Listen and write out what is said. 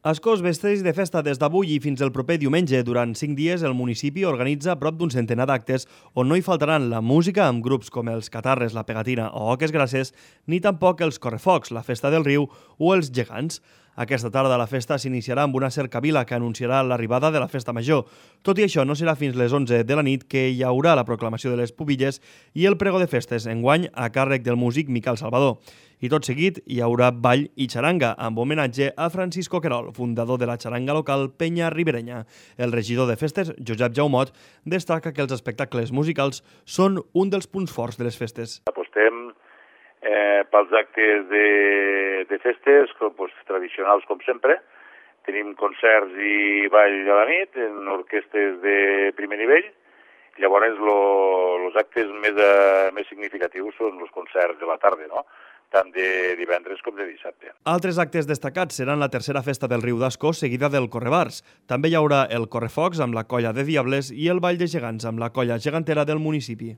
Ascó es vesteix de festa des d'avui i fins el proper diumenge. Durant 5 dies, el municipi organitza prop d'un centenar d'actes on no hi faltaran la música amb grups com els Catarres, la Pegatina o Oques Grasses, ni tampoc els Correfocs, la Festa del Riu o els Gegants. Aquesta tarda la festa s'iniciarà amb una cercavila que anunciarà l'arribada de la festa major. Tot i això, no serà fins les 11 de la nit que hi haurà la proclamació de les pubilles i el pregó de festes, enguany a càrrec del músic Miquel Salvador. I tot seguit hi haurà ball i xaranga, amb homenatge a Francisco Querol, fundador de la xaranga local Penya Riberenya. El regidor de festes, Josep Jaumot, destaca que els espectacles musicals són un dels punts forts de les festes. Apostem pels actes de festes tradicionals com sempre. Tenim concerts i ball a la nit en orquestes de primer nivell. Llavors, els actes més significatius són els concerts de la tarda, no? Tant de divendres com de dissabte. Altres actes destacats seran la tercera festa del Riu d'Ascó, seguida del Correbars. També hi haurà el Correfocs amb la colla de Diables i el Ball de Gegants amb la colla gegantera del municipi.